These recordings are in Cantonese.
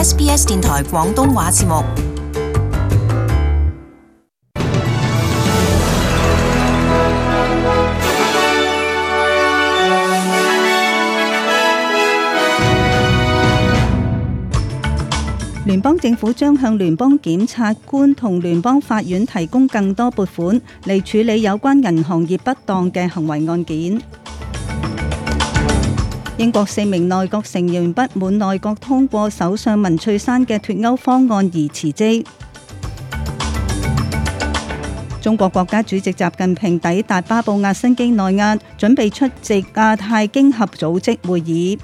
SBS 電台廣東話節目。聯邦政府將向聯邦檢察官同聯邦法院提供更多撥款嚟處理有關銀行業不當嘅行為案件。英國4名內閣成員不滿內閣通過首相文翠珊嘅脫歐方案而辭職。中國國家主席習近平抵達巴布亞新畿內亞，準備出席亞太經合組織會議。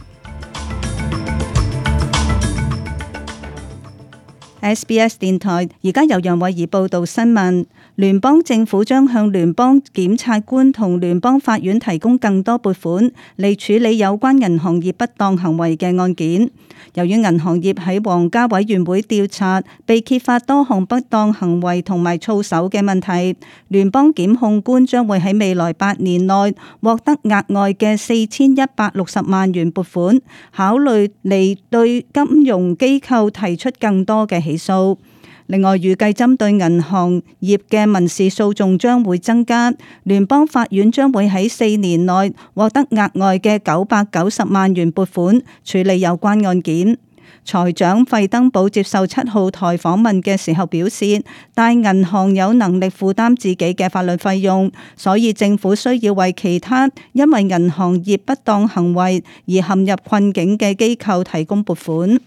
SBS 電台而家由楊慧儀報道新聞。聯邦政府將向聯邦檢察官同聯邦法院提供更多撥款嚟處理有關銀行業不當行為嘅案件。由於銀行業喺皇家委員會調查被揭發多項不當行為同埋操守嘅問題，聯邦檢控官將會喺未來8年內獲得額外嘅4160萬元撥款，考慮嚟對金融機構提出更多嘅起訴。另外，預計針對銀行業嘅民事訴訟將會增加，聯邦法院將會喺4年內獲得額外嘅990萬元撥款處理有關案件。財長費登堡接受7號台訪問嘅時候表示，大銀行有能力負擔自己嘅法律費用，所以政府需要為其他因為銀行業不當行為而陷入困境嘅機構提供撥款。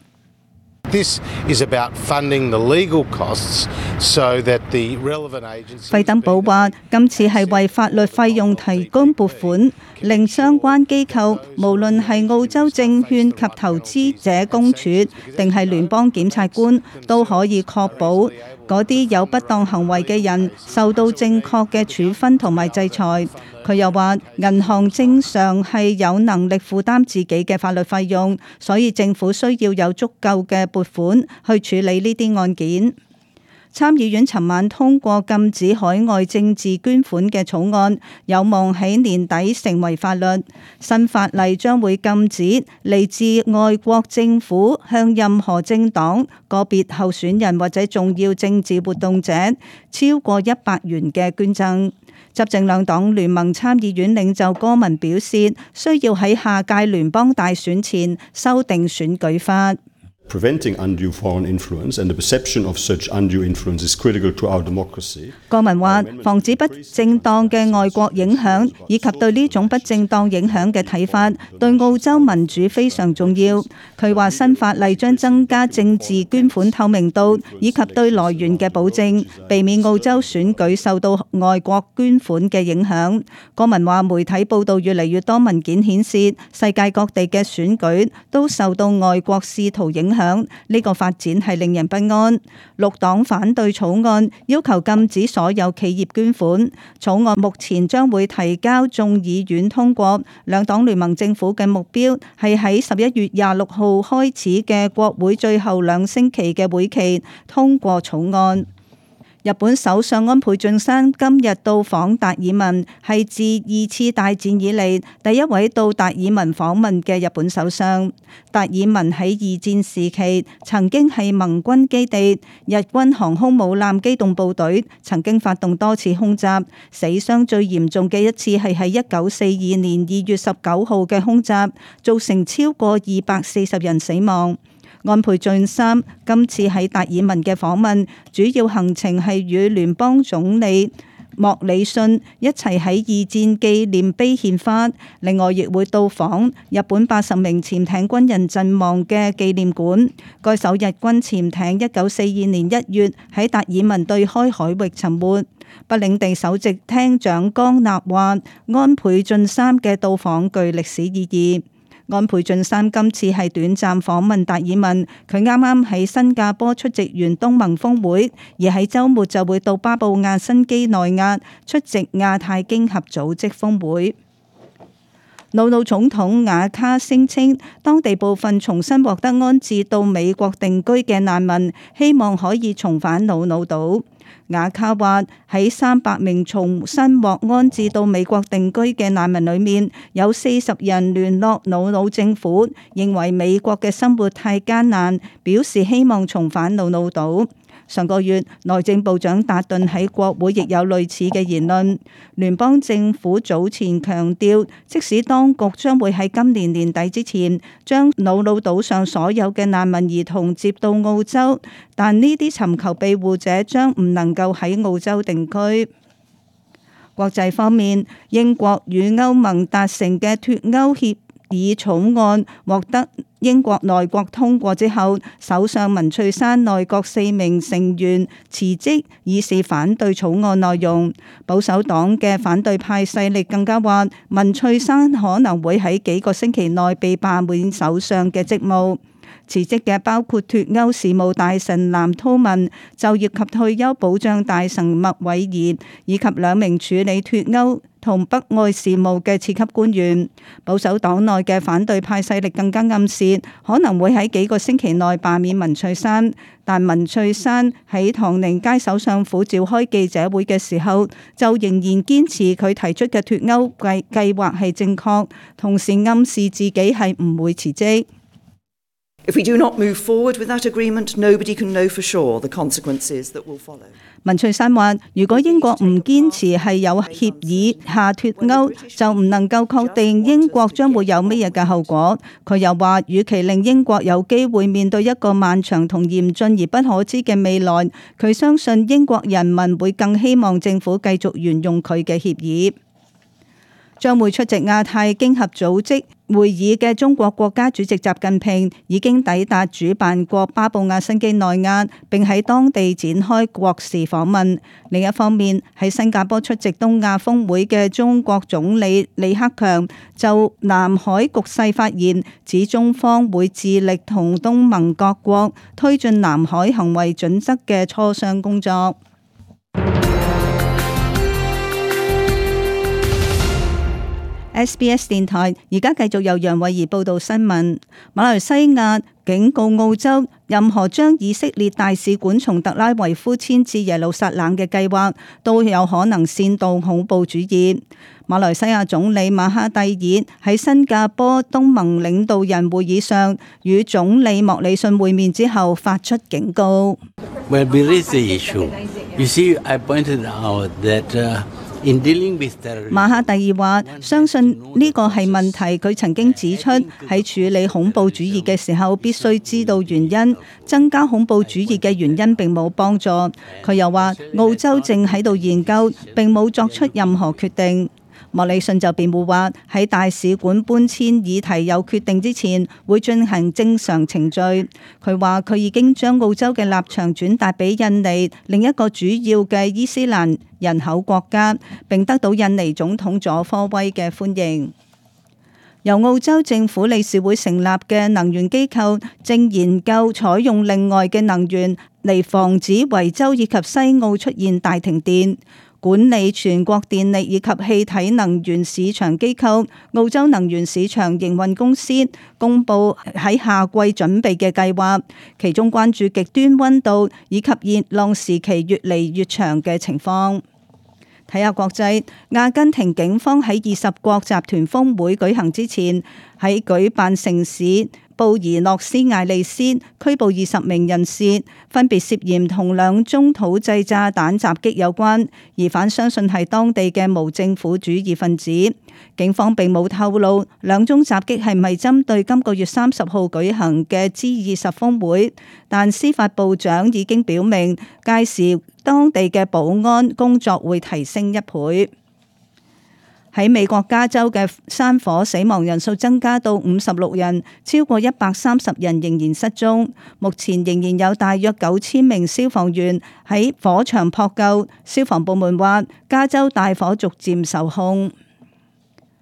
This is about funding the legal costs so that the relevant agencies. 費登堡話：今次係為法律費用提供撥款，令相關機構無論係澳洲證券及投資者公署定係聯邦檢察官，都可以確保嗰啲有不當行為嘅人受到正確嘅處分同埋制裁。佢又話，銀行正常係有能力負擔自己嘅法律費用，所以政府需要有足夠嘅撥款去處理呢啲案件。參議院尋晚通過禁止海外政治捐款嘅草案，有望喺年底成為法律。新法例將會禁止嚟自外國政府向任何政黨、個別候選人或者重要政治活動者超過100元嘅捐贈。執政兩黨聯盟參議院領袖柯文表示，需要喺下屆聯邦大選前修訂選舉法。Preventing undue foreign influence and the perception of such undue influence is critical to our democracy. 柯文話：防止不正當嘅外國影響，以及對呢種不正當影響嘅睇法，對澳洲民主非常重要。佢話新法例將增加政治捐款透明度，以及對來源嘅保證，避免澳洲選舉受到外國捐款嘅影響。柯文話：媒體報道越嚟越多文件顯示，世界各地嘅選舉都受到外國試圖影響。呢個發展係令人不安。綠黨反對草案，要求禁止所有企業捐款。草案目前將會提交眾議院通過。兩黨聯盟政府嘅目標係喺11月26號開始嘅國會最後2星期嘅會期通過草案。日本首相安倍晉三今日到訪達爾文，係自2次大戰以嚟第一位到達爾文訪問嘅日本首相。達爾文喺2戰時期曾經係盟軍基地，日軍航空母艦機動部隊曾經發動多次空襲，死傷最嚴重嘅一次係喺1942年2月19號嘅空襲，造成超過240人死亡。安倍晉三今次喺達爾文嘅訪問，主要行程係與聯邦總理莫里遜一齊喺2戰紀念碑獻花，另外亦會到訪日本80名潛艇軍人陣亡嘅紀念館。該艘日軍潛艇1942年1月喺達爾文對開海域沉沒。北領地首席廳長江納話，安倍晉三嘅到訪具歷史意義。安倍晉三今次係短暫訪問達爾文，佢啱啱喺新加坡出席完東盟峰會，而喺週末就會到巴布亞新畿內亞出席亞太經合組織峰會。瑙魯總統瓦卡聲稱，當地部分重新獲得安置到美國定居嘅難民，希望可以重返瑙魯島。雅卡話喺300名重新獲安置到美國定居嘅難民裏面，有40人聯絡瑙魯政府，認為美國嘅生活太艱難，表示希望重返瑙魯島。上個月，內政部長達頓喺國會亦有類似嘅言論。聯邦政府早前強調，即使當局將會喺今年年底之前將瑙魯島上所有嘅難民兒童接到澳洲，但呢啲尋求庇護者將唔能夠喺澳洲定居。國際方面，英國與歐盟達成嘅脫歐協議草案獲得英國內閣通過之後，首相文翠珊內閣4名成員辭職，以示反對草案內容。保守黨嘅反對派勢力更加話，文翠珊可能會喺幾個星期內被罷免首相嘅職務。辭職嘅包括脫歐事務大臣藍韜文、就業及退休保障大臣麥偉儀，以及2名處理脫歐同北愛事務嘅次級官員。保守黨內嘅反對派勢力更加暗示，可能會喺幾個星期內罷免文翠珊。但文翠珊喺唐寧街首相府召開記者會嘅時候，就仍然堅持佢提出嘅脫歐計劃係正確，同時暗示自己係唔會辭職。If we do not move forward with that agreement, nobody can know for sure the consequences that will follow. 文翠珊話：如果英國唔堅持係有協議下脫歐，就唔能夠確定英國將會有乜嘢嘅後果。佢又話：與其令英國有機會面對一個漫長同嚴峻而不可知嘅未來，佢相信英國人民會更希望政府繼續沿用佢嘅協議。將會出席亞太經合組織會議嘅中國國家主席習近平已經抵達主辦國巴布亞新畿內亞，並喺當地展開國事訪問。另一方面，喺新加坡出席東亞峰會嘅中國總理李克強就南海局勢發言，指中方會致力同東盟各國推進南海行為準則嘅磋商工作。SBS 電台而家繼續由楊慧儀報道新聞。馬來西亞警告澳洲，任何將以色列大使館從特拉維夫遷至耶路撒冷嘅計劃，都有可能煽動恐怖主義。馬來西亞總理馬哈蒂爾喺新加坡東盟領導人會議上與總理莫里遜會面之後發出警告。When we raise the issue, you see, I pointed out that馬哈蒂爾話：相信呢個係問題。佢曾經指出，喺處理恐怖主義嘅時候，必須知道原因。增加恐怖主義嘅原因並冇幫助。佢又話，澳洲正喺度研究，並冇作出任何決定。莫里遜就辯護話，喺大使館搬遷議題有決定之前，會進行正常程序。佢話佢已經將澳洲嘅立場轉達俾印尼，另一個主要嘅伊斯蘭人口國家，並得到印尼總統佐科威嘅歡迎。由澳洲政府理事會成立嘅能源機構正研究採用另外嘅能源嚟防止維州以及西澳出現大停電。管理全國電力以及氣體能源市場機構澳洲能源市場營運公司公佈喺夏季準備嘅計劃，其中關注極端溫度以及熱浪時期越嚟越長嘅情況。睇下國際，阿根廷警方喺20國集團峰會舉行之前，喺舉辦城市布宜諾斯艾利斯拘捕20名人士，分別涉嫌同2宗土製炸彈襲擊有關，疑犯相信係當地嘅無政府主義分子。警方並冇透露2宗襲擊係咪針對今個月30號舉行嘅 G20 峰會，但司法部長已經表明，屆時當地嘅保安工作會提升1倍。喺美國加州嘅山火死亡人數增加到56人，超過130人仍然失蹤。目前仍然有大約9000名消防員喺火場撲救。消防部門話，加州大火逐漸受控。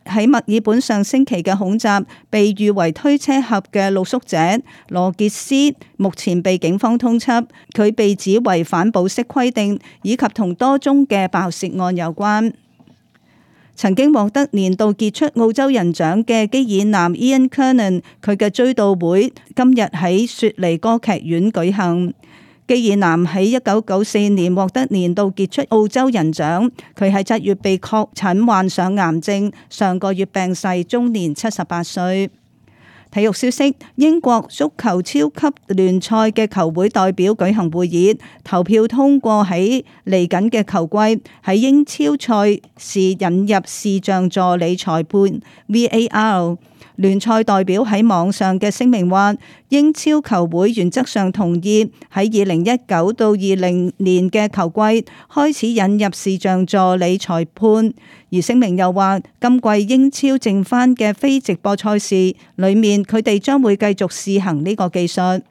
喺墨爾本上星期嘅恐襲，被譽為推車俠嘅露宿者羅傑斯目前被警方通緝，佢被指違反保釋規定，以及同多宗嘅爆竊案有關。曾經獲得年度傑出澳洲人獎嘅基爾南 Ian Kernan， 佢嘅追悼會今日喺雪梨歌劇院舉行。基爾南喺1994年獲得年度傑出澳洲人獎，佢喺7月被確診患上癌症，上個月病逝，終年78歲。體育消息：英國足球超級聯賽嘅球會代表舉行會議，投票通過喺嚟緊嘅球季喺英超賽事引入視像助理裁判 VAR。聯賽代表喺網上嘅聲明話，英超球會原則上同意喺2019到20年嘅球季開始引入視像助理裁判，而聲明又話，今季英超剩返嘅非直播賽事裏面，佢哋將會繼續試行呢個技術。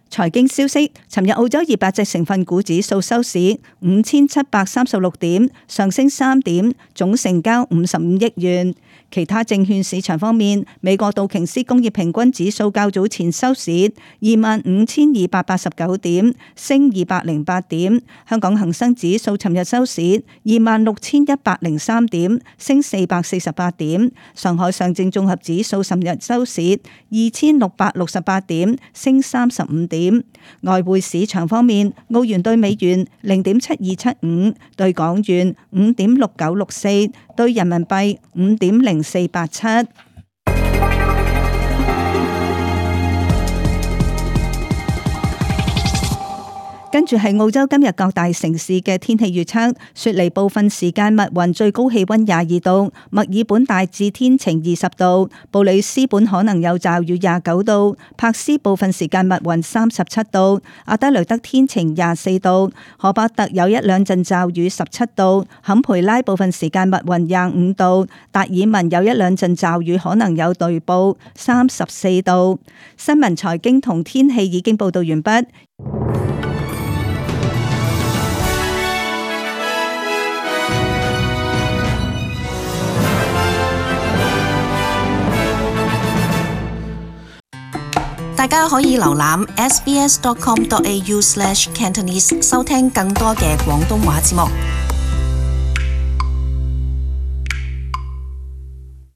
財經消息：尋日澳洲200隻成分股指數收市5736點，上升3點，總成交55億元。其他證券市場方面，美國道瓊斯工業平均指數較早前收市25,289點，升208點。香港恒生指數尋日收市26,103點，升448點。上海上證綜合指數尋日收市2,668點，升35點。外匯市場方面，澳元對美元0.7275，對港元5.6964，對人民幣5.0487。跟住係澳洲今日各大城市嘅天氣預測：雪梨部分時間密雲，最高氣溫22度；墨爾本大致天晴20度；布里斯本可能有驟雨29度；柏斯部分時間密雲37度；阿德雷德天晴24度；荷巴特有一兩陣驟雨17度；坎培拉部分時間密雲25度；達爾文有一兩陣驟雨可能有雷暴34度。新聞財經同天氣已經報道完畢。大家可以瀏覽 sbs.com.au/cantonese 收聽更多嘅廣東話節目。